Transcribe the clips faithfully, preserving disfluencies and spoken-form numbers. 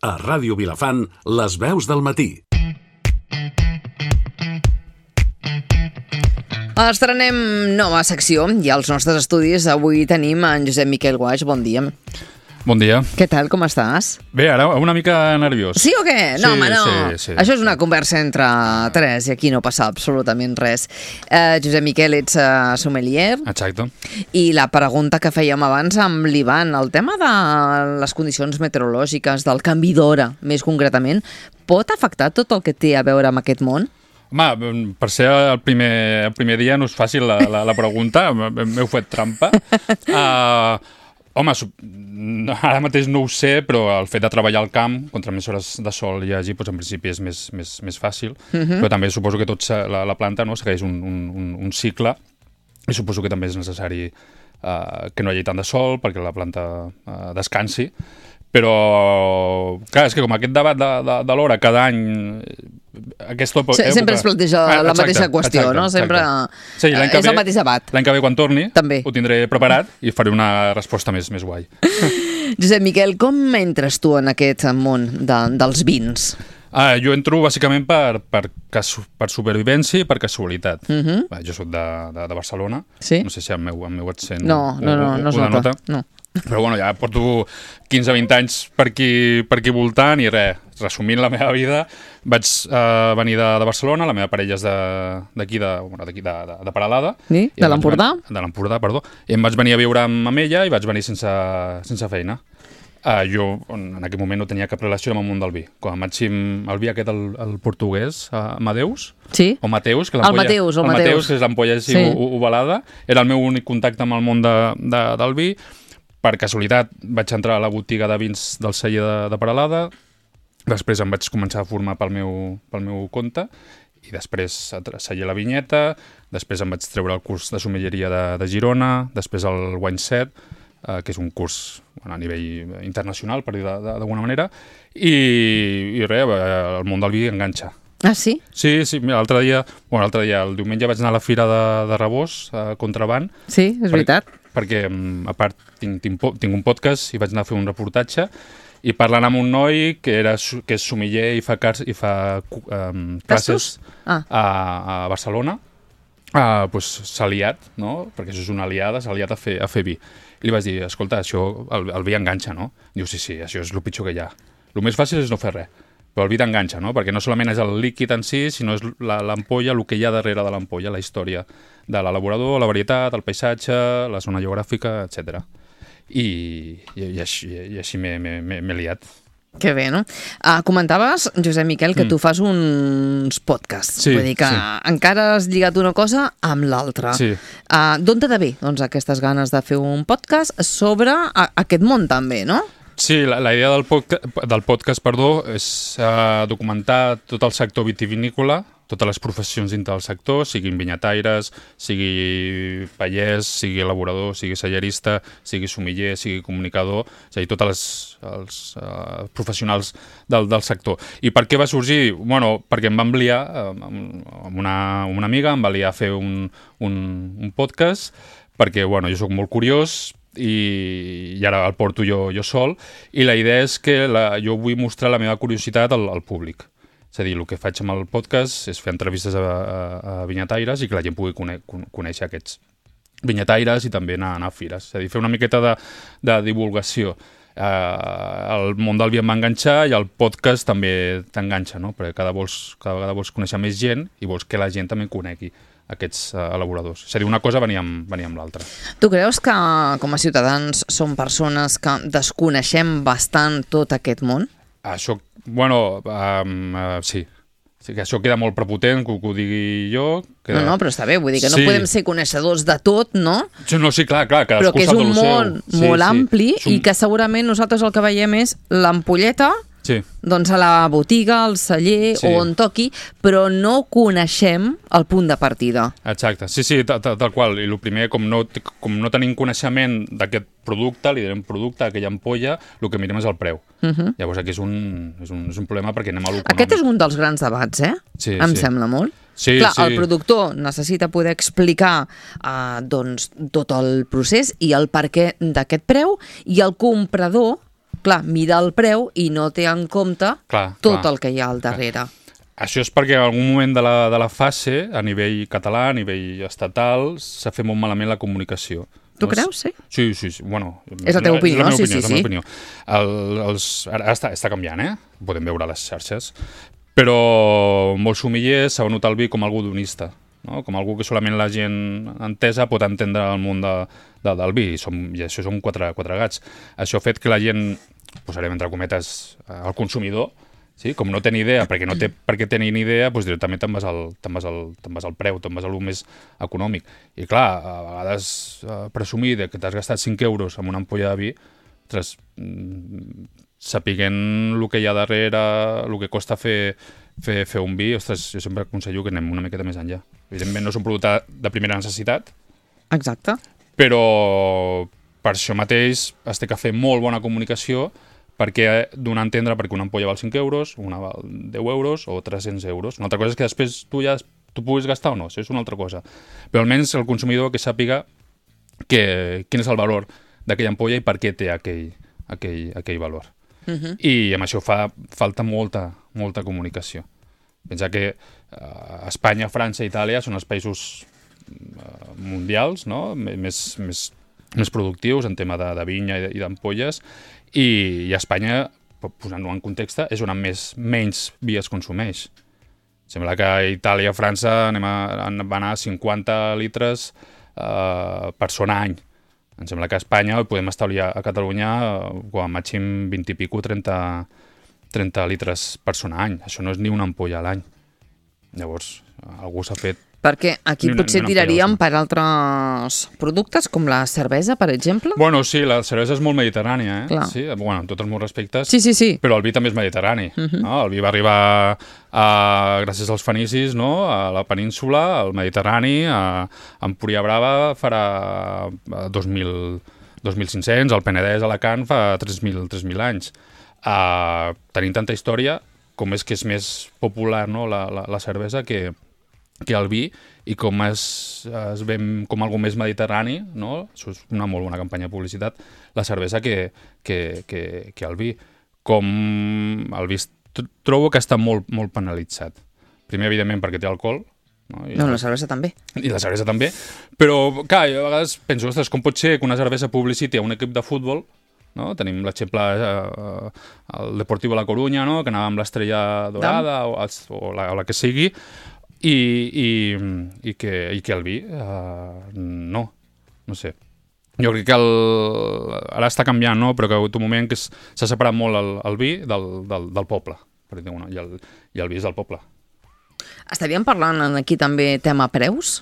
A Ràdio Vilafant, les veus del matí. Estrenem nova secció i als nostres estudis avui tenim en Josep Miquel Guaix. Bon dia. Bon dia. Què tal, com estàs? Bé, ara una mica nerviós. Sí o què? No, sí, home, no. Sí, sí, Això és una sí. conversa entre tres i aquí no passa absolutament res. Uh, Josep Miquel, ets uh, sommelier. Exacte. I la pregunta que fèiem abans amb l'Ivan, el tema de les condicions meteorològiques, del canvi d'hora, més concretament, pot afectar tot el que té a veure amb aquest món? Home, per ser el primer, el primer dia no és fàcil la, la, la pregunta, m'heu fet trampa. Uh, home, ara mateix no ho sé, però el fet de treballar al camp, contra més hores de sol hi hagi, doncs en principi és més, més, més fàcil. Uh-huh. Però també suposo que tot la, la planta no, segueix un, un, un cicle i suposo que també és necessari uh, que no hi hagi tant de sol perquè la planta uh, descansi. Però, clar, és que com aquest debat de, de, de l'hora cada any... Aquesta època... Sempre es planteja ah, la exacte, mateixa qüestió, exacte, no? Sempre sí, l'any que és ve, el mateix debat. L'any que ve, quan torni, també ho tindré preparat i faré una resposta més, més guai. Josep Miquel, com entres tu en aquest món de, dels vins? Ah, jo entro bàsicament per, per, per supervivència i per casualitat. Uh-huh. ah, jo soc de, de, de Barcelona, sí? No sé si el meu, el meu accent no, no, no, no, no nota. No. Però bueno, ja porto quinze vint anys per aquí, per aquí voltant i res, resumint la meva vida, vaig uh, venir de, de Barcelona, la meva parella és d'aquí, de, bueno, d'aquí de, de, de Peralada. Sí? De l'Empordà? De l'Empordà, perdó. I em vaig venir a viure amb, amb ella i vaig venir sense, sense feina. Uh, jo en aquell moment no tenia cap relació amb el món del vi. Quan em vaig el vi aquest, el, el portuguès, uh, Amadeus, sí? o Mateus, que el Mateus, el, el Mateus. Mateus, que és l'ampolla així sí. ovalada, era el meu únic contacte amb el món de, de, del vi. Per casualitat vaig entrar a la botiga de vins del celler de, de Peralada, després em vaig començar a formar pel meu, pel meu compte, i després a celler la vinyeta, després em vaig treure el curs de sommelleria de, de Girona, després el Wine Set, eh, que és un curs bueno, a nivell internacional, per dir d'alguna manera, i, i res, el món del vi enganxa. Ah, sí? Sí, sí, mira, l'altre dia, bueno, l'altre dia, el diumenge vaig anar a la fira de, de Rebós, a Contraband. Sí, és veritat. Per, perquè, a part, tinc, tinc, tinc un podcast i vaig anar a fer un reportatge i parlant amb un noi que, era, que és sommelier i fa, i fa um, classes ah. a, a Barcelona, uh, pues, s'ha liat, no? Perquè això és una aliada, s'ha liat a fer, a fer vi. I li vaig dir, escolta, això, el, el vi enganxa, no? Diu, sí, sí, això és el pitjor que hi ha. El més fàcil és no fer res. Però el vi t'enganxa, no? Perquè no solament és el líquid en si, sinó és l'ampolla, el que hi ha darrere de l'ampolla, la història de l'elaborador, la varietat, el paisatge, la zona geogràfica, etcètera. I, i, i així, i així m'he liat. Que bé, no? Uh, comentaves, Josep Miquel, que mm. tu fas uns podcasts. Sí, Vull dir que sí. encara has lligat una cosa amb l'altra. Sí. Uh, D'on te ve, doncs, aquestes ganes de fer un podcast sobre a, aquest món també, no? Sí, la, la idea del podcast, del podcast perdó, és uh, documentar tot el sector vitivinícola, totes les professions dintre del sector, siguin vinyataires, sigui pallès, sigui elaborador, sigui cellerista, sigui sommelier, sigui comunicador, és a dir, tots els, els uh, professionals del, del sector. I per què va sorgir? Bueno, perquè em va enviar, amb una, amb una amiga, em va liar a fer un, un, un podcast, perquè bueno, jo soc molt curiós, I, i ara el porto jo, jo sol, i la idea és que la, jo vull mostrar la meva curiositat al, al públic. És a dir, el que faig amb el podcast és fer entrevistes a, a, a vinyataires i que la gent pugui cone, conèixer aquests vinyataires i també anar, anar a fires. És a dir, fer una miqueta de, de divulgació. Uh, el món del vi em va enganxar i el podcast també t'enganxa, no? Perquè cada, vols, cada vegada vols conèixer més gent i vols que la gent també conegui aquests uh, elaboradors. És a dir, una cosa venia amb, venia amb l'altra. Tu creus que com a ciutadans som persones que desconeixem bastant tot aquest món? Això, bueno, um, uh, sí. Sí, que això queda molt prepotent, que, que ho digui jo. Queda... No, no, però està bé, vull dir que no sí. podem ser coneixedors de tot, no? No, sí, clar, clar, però que és un món sí, molt sí. ampli un... i que segurament nosaltres el que veiem és l'ampolleta, sí. doncs a la botiga, al celler sí. o on toqui, però no coneixem el punt de partida. Exacte, sí, sí, tal, tal qual. I el primer, com no, com no tenim coneixement d'aquest producte, li direm producte, aquella ampolla, el que mirem és el preu. Uh -huh. Llavors aquí és un, és, un, és un problema perquè anem a l'econòmic. Aquest és un dels grans debats, eh? Sí, em sí. sembla molt. Sí, Clar, sí. el productor necessita poder explicar uh, doncs, tot el procés i el perquè d'aquest preu, i el comprador clar, mira el preu i no té en compte Clar, tot clar. el que hi ha al darrere. Això és perquè en algun moment de la, de la fase, a nivell català, a nivell estatal, s'ha fet molt malament la comunicació. Tu No? creus, sí? Sí, sí, sí. Bueno, És la teva opinió, és la meva sí, opinió, sí, és la meva sí. opinió. El, els, ara està, està canviant, eh? Ho podem veure a les xarxes. Però molts sumillers saben notar el vi com algú donista, no? Com algú que solament la gent entesa pot entendre el món de, de, del vi, I, som, i això són quatre, quatre gats. Això ha fet que la gent, posarem entre cometes, el consumidor, sí? Com no té ni idea, perquè no té per què tenir ni idea, doncs directament te'n vas, al, te'n vas, al, te'n vas al preu, te'n vas a lo més econòmic. I clar, a vegades eh, presumir de que t'has gastat cinc euros en una ampolla de vi, ostres, mm, sapiguent el que hi ha darrere, el que costa fer, fer, fer un vi, ostres, jo sempre aconsello que anem una miqueta més enllà. Evidentment no és un producte de primera necessitat, Exacte. però per això mateix es té que fer molt bona comunicació perquè donar a entendre perquè una ampolla val cinc euros, una val deu euros o tres-cents euros. Una altra cosa és que després tu ja tu puguis gastar o no, això és una altra cosa. Però almenys el consumidor que sàpiga que, quin és el valor d'aquella ampolla i per què té aquell, aquell, aquell valor. Uh -huh. I amb això fa falta molta, molta comunicació. Pensa que eh, Espanya, França i Itàlia són els països eh, mundials, no? més, més, més productius en tema de, de vinya i d'ampolles, i, i a Espanya, posant-ho en context, és on més, menys vi es consumeix. Sembla que a Itàlia i França anem a, van a cinquanta litres eh, persona any. Em sembla que a Espanya podem establir a Catalunya eh, com a màxim vint i pico, trenta, trenta litres persona any. Això no és ni una ampolla a l'any. Llavors, algú s'ha fet... Perquè aquí Ni una- potser ni una tiraríem ampolla, per altres productes, com la cervesa, per exemple. Bueno, sí, la cervesa és molt mediterrània, eh? Clar. Sí, bueno, amb tots els meus respectes. Sí, sí, sí. Però el vi també és mediterrani. Uh -huh. no? El vi va arribar a, gràcies als fenicis, no? A la península, al Mediterrani, a, a Empúria Brava farà dos mil cinc-cents, al Penedès, a Alacant, fa tres mil anys. Uh, tenim tanta història, com és que és més popular, no? la, la, la cervesa que, que el vi, i com es, es ven com algo més mediterrani, no? Això és una molt bona campanya de publicitat, la cervesa que, que, que, que el vi. Com el vi trobo que està molt, molt penalitzat. Primer, evidentment, perquè té alcohol, no? I No, la cervesa també. I la cervesa també, però, clar, jo a vegades penso, ostres, com pot ser que una cervesa publiciti a un equip de futbol, no? Tenim l'exemple eh, el Deportivo La Coruña, no? Que anava amb l'Estrella Dorada o, o, la, o la que sigui, i, i, i, que, i que el vi eh, no, no sé. Jo crec que el, ara està canviant, no? Però que ha hagut un moment que s'ha separat molt el, el vi del, del, del poble, per dir-ho, no? I, el, i el vi és del poble. Estaríem parlant aquí també tema preus?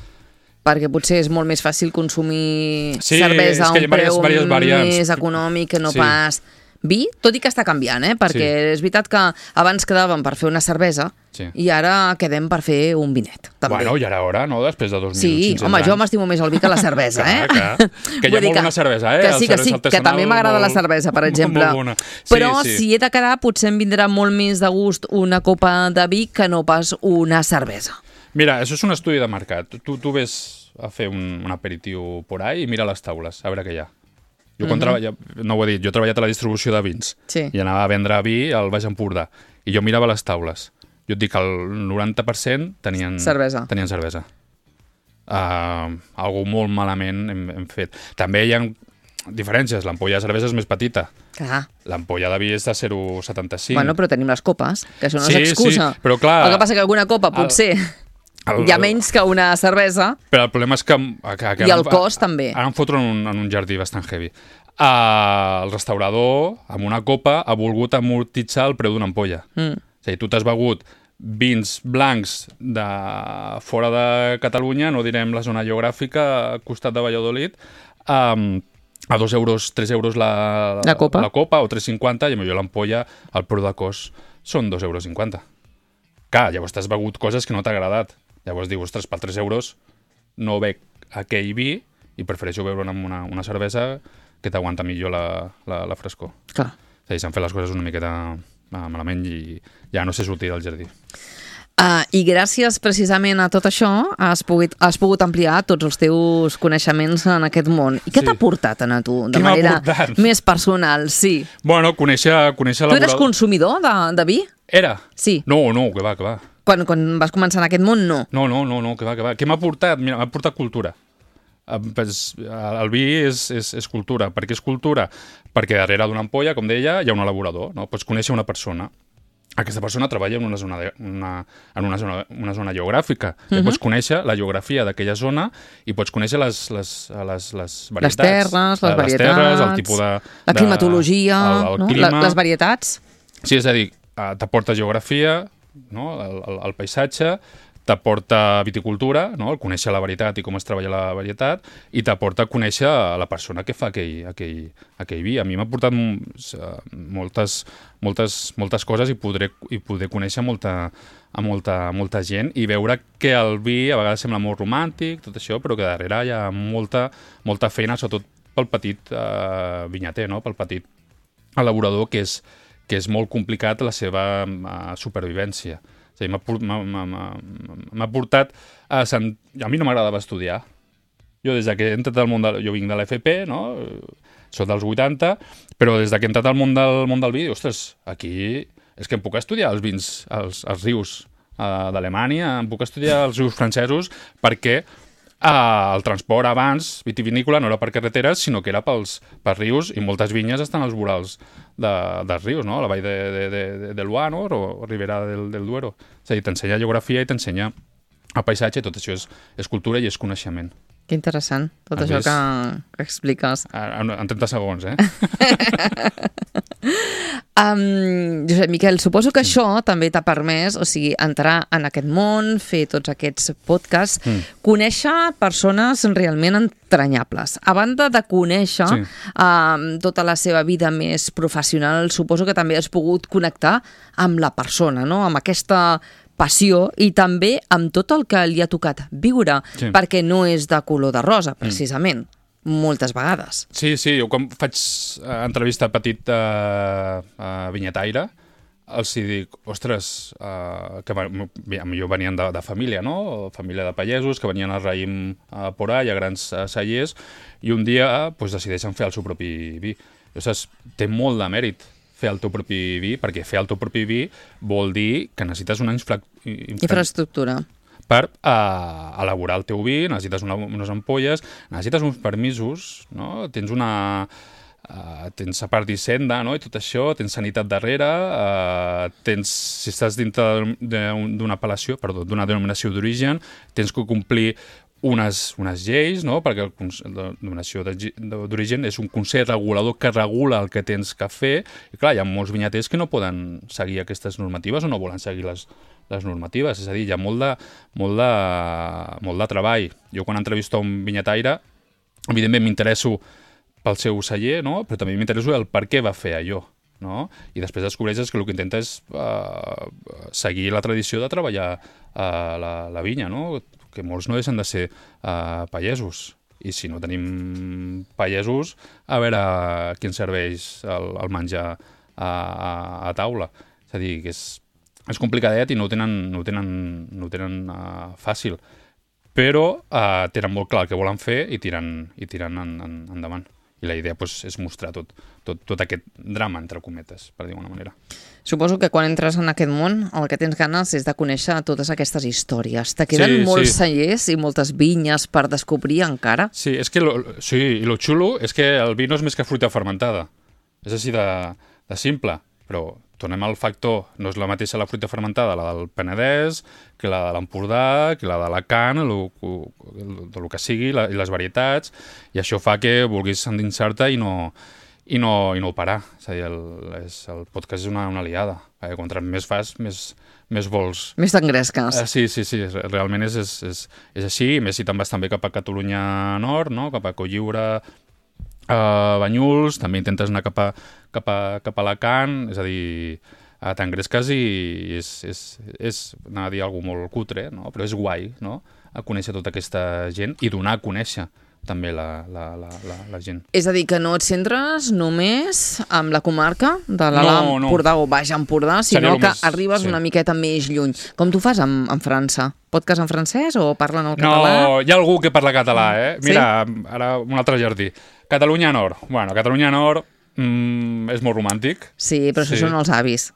Perquè potser és molt més fàcil consumir Sí, cervesa a és que hi un ha preu diverses variants. més econòmic que no Sí. pas vi, tot i que està canviant, eh? Perquè Sí. és veritat que abans quedàvem per fer una cervesa Sí. i ara quedem per fer un vinet, també. Bueno, i ara hora, no? Després de dos mil Sí, cinc-cents home, jo anys. m'estimo més el vi que la cervesa, Clar, eh? clar. Que hi ha Vull dir molt bona cervesa, eh? Que El sí, que cervesa sí, que artesanal, també m'agrada la molt- cervesa, per exemple. molt bona. Sí, Però sí. si he de quedar, potser em vindrà molt més de gust una copa de vi que no pas una cervesa. Mira, això és un estudi de mercat. Tu, tu ves a fer un, un aperitiu por ahí i mira les taules, a veure què hi ha. Jo quan Mhm. treballa, no ho he dit, jo he treballat a la distribució de vins Sí. i anava a vendre vi al Baix Empordà i jo mirava les taules. Jo et dic que el noranta per cent tenien Cervesa. Tenien cervesa. Uh, algo molt malament hem, hem fet. També hi ha diferències. L'ampolla de cervesa és més petita. Clar. L'ampolla de vi és de zero coma setanta-cinc. Bueno, però tenim les copes, que això no Sí, és excusa. sí, però clar, el que passa que alguna copa potser el- hi ha menys que una cervesa Però el problema és que... que, que i ara el em- cost també. Ara em foto en un, en un jardí bastant heavy. Uh, el restaurador, amb una copa, ha volgut amortitzar el preu d'una ampolla. Mm. És a dir, tu t'has begut vins blancs de fora de Catalunya, no direm la zona geogràfica, al costat de Valladolid, um, a dos euros, tres euros la, La copa. la copa o tres cinquanta, i potser l'ampolla, el preu de cost són dos euros cinquanta. Clar, llavors t'has begut coses que no t'ha agradat. Llavors dius, ostres, per tres euros no bec aquell vi i prefereixo beure amb una, una cervesa que t'aguanta millor la, la, la frescor. Clar. És a dir, s'han fet les coses una miqueta ah, malament i ja no sé sortir del jardí. Uh, I gràcies precisament a tot això has pogut, has pogut ampliar tots els teus coneixements en aquest món. I què Sí. t'ha portat a tu, de Què m'ha manera portat? més personal? Sí. Bueno, conèixer, conèixer Tu eres laboral- consumidor de, de vi? Era? Sí. No, no, que va, que va. Quan, quan vas començar en aquest món, no. No, no, no, no, que va, que va. Què m'ha portat? Mira, m'ha portat cultura. Eh, pues, el vi és, és, és cultura. Per què és cultura? Perquè darrere d'una ampolla, com deia, hi ha un elaborador, no? Pots conèixer una persona. Aquesta persona treballa en una zona, de, una, en una zona, una zona geogràfica. Uh -huh. Pots conèixer la geografia d'aquella zona i pots conèixer les, les, les, les varietats. Les terres, les les varietats, terres, el tipus de... la de- climatologia, el, el no? clima. La, les varietats. Sí, és a dir, eh, t'aporta geografia, no? el, el, el paisatge, t'aporta viticultura, no? El conèixer la varietat i com es treballa la varietat, i t'aporta conèixer la persona que fa aquell, aquell, aquell vi. A mi m'ha portat mm, moltes, moltes, moltes coses i podré, i poder conèixer molta, a molta, molta gent i veure que el vi a vegades sembla molt romàntic, tot això, però que darrere hi ha molta, molta feina, sobretot pel petit eh, vinyater, no? Pel petit elaborador, que és, que és molt complicat la seva uh, supervivència. És a dir, m'ha portat a... Sant... A mi no m'agradava estudiar. Jo, des que he entrat al món del... Jo vinc de l'F P, no? Soc dels vuitanta, però des que he entrat al món del, món del vi, ostres, aquí és que em puc estudiar els vins, els, els rius uh, d'Alemanya, em puc estudiar els rius francesos, perquè Uh, el transport abans, vitivinícola, no era per carreteres, sinó que era pels, pels rius, i moltes vinyes estan als vorals de, dels rius, no? La vall de, de, de, de Loire, no? O Ribera del, del Duero. És a dir, t'ensenya geografia i t'ensenya el paisatge, tot això és, és cultura i és coneixement. Que interessant, tot Has això vist? que, que expliques. En, en trenta segons, eh? Um, Josep Miquel, suposo que això també t'ha permès, o sigui, entrar en aquest món, fer tots aquests podcasts, mm. conèixer persones realment entranyables. A banda de conèixer sí. um, tota la seva vida més professional, suposo que també has pogut connectar amb la persona, no? Amb aquesta passió i també amb tot el que li ha tocat viure, sí. perquè no és de color de rosa, precisament. Mm. Moltes vegades. Sí, sí, jo quan faig uh, entrevista petit uh, uh, vinyataire, els hi dic, ostres, uh, que jo venien de, de família, no? Família de pagesos, que venien al raïm uh, por ahí, a grans uh, cellers, i un dia uh, pues, decideixen fer el seu propi vi. I, ostres, té molt de mèrit fer el teu propi vi, perquè fer el teu propi vi vol dir que necessites una infra... infra... infraestructura. Per uh, elaborar el teu vi, necessites una, unes ampolles, necessites uns permisos, no? Tens una... Uh, tens a part d'Hisenda, no? I tot això, tens sanitat darrere, uh, tens, si estàs dintre d'una apel·lació, perdó, d'una denominació d'origen, tens que complir unes, unes lleis, no? Perquè la denominació d'origen és un consell regulador que regula el que tens que fer, i clar, hi ha molts vinyaters que no poden seguir aquestes normatives o no volen seguir les les normatives, és a dir, hi ha molt de, molt de, molt de treball. Jo quan entrevisto un vinyataire, evidentment m'interesso pel seu celler, no? Però també m'interesso el per què va fer allò, no? I després descobreixes que el que intenta és uh, seguir la tradició de treballar uh, la, la vinya, no? Que molts no deixen de ser uh, pagesos. I si no tenim pagesos, a veure qui ens serveix el, el menjar a, a, a taula. És a dir, que és És complicadet i no ho tenen, no ho tenen, no ho tenen uh, fàcil, però uh, tenen molt clar el que volen fer i tiren, i tiren en, en, endavant. I la idea pues, és mostrar tot, tot, tot aquest drama, entre cometes, per dir d'alguna manera. Suposo que quan entres en aquest món el que tens ganes és de conèixer totes aquestes històries. Te queden sí, molts sí. cellers i moltes vinyes per descobrir encara? Sí, és que lo, sí, i lo xulo és que el vi no és més que fruita fermentada. És així de, de simple, però tornem al factor, no és la mateixa la fruita fermentada, la del Penedès, que la de l'Empordà, que la d'Alacant, del que sigui, la, i les varietats, i això fa que vulguis endinsar-te i no, i, no, i no parar. És a dir, el, és, el podcast és una, una aliada. Eh? Contra més fas, més, més vols... Més t'engresques. Eh, sí, sí, sí, realment és, és, és, és així, i més si te'n vas també cap a Catalunya Nord, no? Cap a Cotlliure, Uh, Banyuls, també intentes anar cap a, cap a, cap a Alacant, és a dir, uh, t'engresques i és, és, és, anava a dir alguna molt cutre, no? Però és guai, no? A conèixer tota aquesta gent i donar a conèixer també la, la, la, la, la gent. És a dir, que no et centres només amb la comarca de l'Alt No, no. Empordà o Baix Empordà, Seria sinó lo que més- arribes sí. una miqueta més lluny. Com tu fas amb, amb França? Podcast en francès o parlen el català? No, hi ha algú que parla català, eh? Sí? Mira, ara un altre jardí. Catalunya Nord. Bueno, Catalunya Nord mm, és molt romàntic. Sí, però això Sí. són els avis.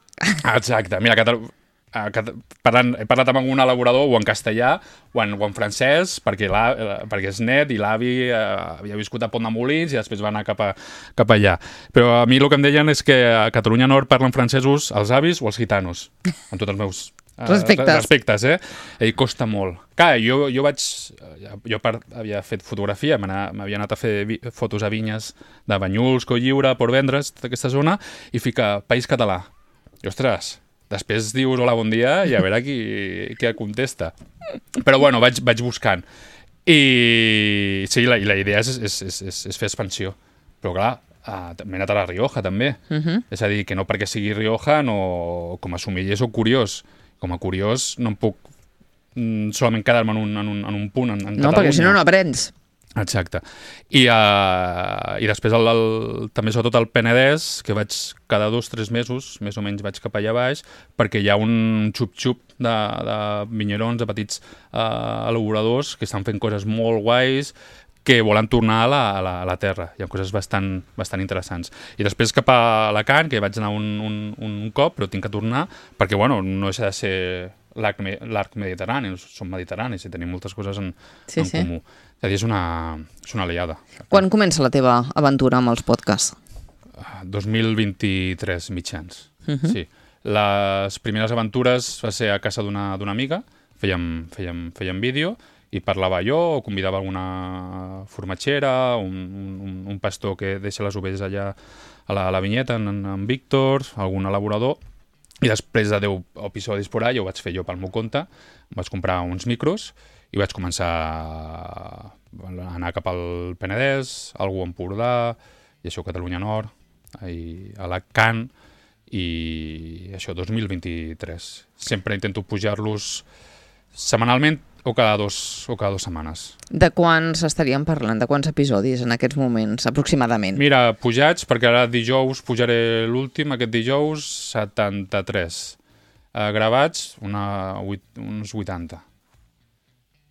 Exacte. Mira, Catalu... eh, Cat- parlant, he parlat amb algun elaborador o en castellà o en, o en francès perquè, la, eh, perquè és net i l'avi eh, havia viscut a Pont de Molins i després va anar cap, a, cap allà. Però a mi el que em deien és que a Catalunya Nord parlen francesos els avis o els gitanos, amb tots els meus eh, Respectes. respectes, eh? I costa molt. Clar, jo, jo vaig... Jo part, havia fet fotografia, m'havia anat a fer vi, fotos a vinyes de Banyuls, Cotlliure, Port Vendres, d'aquesta zona, i fica País Català. I, ostres, després dius hola, bon dia, i a veure qui, qui et contesta. Però bueno, vaig, vaig buscant. I sí, la, i la idea és, és, és, és, és fer expansió. Però clar, uh, m'he anat a la Rioja també. Uh -huh. És a dir, que no perquè sigui Rioja, no, com a somiller soc curiós. Com a curiós no em puc mm, solament quedar-me en, un, en, un, en un punt, en, en No, Catalunya. perquè si no, no aprens. Exacte. I, uh, i després el, el, també sobretot al Penedès, que vaig cada dos o tres mesos, més o menys vaig cap allà baix, perquè hi ha un xup-xup de, de vinyerons, de petits uh, elaboradors que estan fent coses molt guais, que volen tornar a la, a la, a la terra. Hi ha coses bastant, bastant interessants. I després cap a Alacant, que vaig anar un, un, un cop, però tinc que tornar, perquè bueno, no deixa de ser l'arc me, mediterrani, som mediterranis i tenim moltes coses en, Sí, en sí. comú. És a dir, és una, és una aliada. Quan comença la teva aventura amb els podcasts? dos mil vint-i-tres mitjans. Uh -huh. Sí. Les primeres aventures va ser a casa d'una d'una amiga, fèiem, fèiem, fèiem vídeo, i parlava jo, o convidava alguna formatgera, un, un, un pastor que deixa les ovelles allà a la, a la vinyeta, en, en Víctor, algun elaborador, i després de deu episodis por allà ho vaig fer jo pel meu compte, vaig comprar uns micros i vaig començar a anar cap al Penedès, algú a Empordà, i això Catalunya Nord, i Alacant, i això, dos mil vint-i-tres. Sempre intento pujar-los setmanalment o cada dos, o cada dues setmanes. De quants estaríem parlant? De quants episodis en aquests moments, aproximadament? Mira, pujats, perquè ara dijous pujaré l'últim, aquest dijous, setanta-tres. Uh, gravats, una, vuit, uns vuitanta.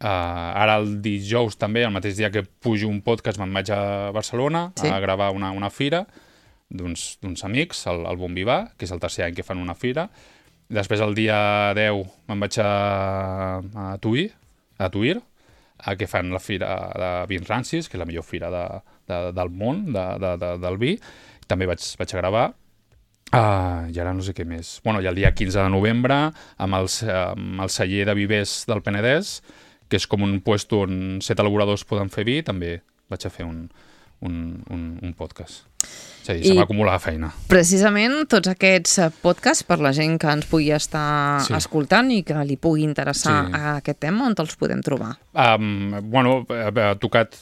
Uh, ara el dijous també, el mateix dia que pujo un podcast, me'n vaig a Barcelona Sí. a gravar una, una fira d'uns d'uns amics, el, el Bon Vivà, que és el tercer any que fan una fira. Després el dia deu me'n vaig a, a Tuir, a Tuir, a que fan la fira de vins rancis, que és la millor fira de, de, del món, de, de, de, del vi. També vaig, vaig a gravar. Uh, I ara no sé què més. Bueno, i el dia quinze de novembre, amb el, amb el celler de vivers del Penedès, que és com un puesto on set elaboradors poden fer vi, també vaig a fer un, un, un, un podcast. És a dir, I- se m'acumula la feina. Precisament tots aquests eh, podcasts, per la gent que ens pugui estar Sí. escoltant i que li pugui interessar Sí. a aquest tema, on te'ls podem trobar? Um, bueno, he tocat...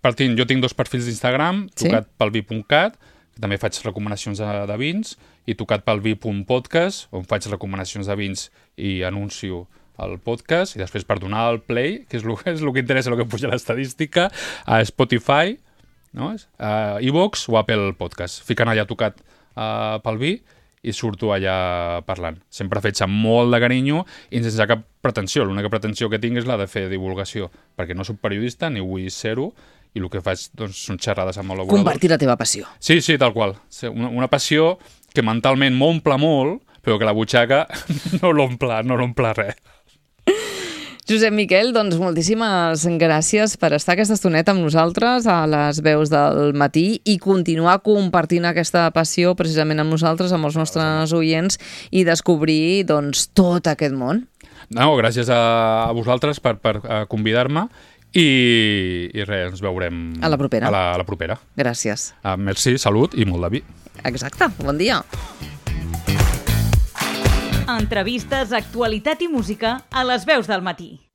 Partint, jo tinc dos perfils d'Instagram, Sí? tocat pel vi punt cat, que també faig recomanacions de, de vins, i tocat pel vi punt podcast, on faig recomanacions de vins i anuncio el podcast, i després per donar el play, que és el, és el que interessa, el que puja l'estadística, a Spotify, no? a iVoox o Apple Podcast. Ficant allà tocat uh, pel vi i surto allà parlant. Sempre fets amb molt de carinyo i sense cap pretensió. L'única pretensió que tinc és la de fer divulgació, perquè no soc periodista ni vull ser-ho, i el que faig doncs, són xerrades amb elaboradors. Compartir la teva passió. Sí, sí, tal qual. Sí, Una, una passió que mentalment m'omple molt, però que la butxaca no l'omple, no l'omple res. Josep Miquel, doncs moltíssimes gràcies per estar aquesta estoneta amb nosaltres a les veus del matí i continuar compartint aquesta passió precisament amb nosaltres, amb els nostres oients i descobrir doncs, tot aquest món. No, gràcies a, a vosaltres per, per uh, convidar-me i, i res, ens veurem A la propera. A la, a la propera. Gràcies. Uh, merci, salut i molt de vi. Exacte, bon dia. Entrevistes, actualitat i música a les veus del matí.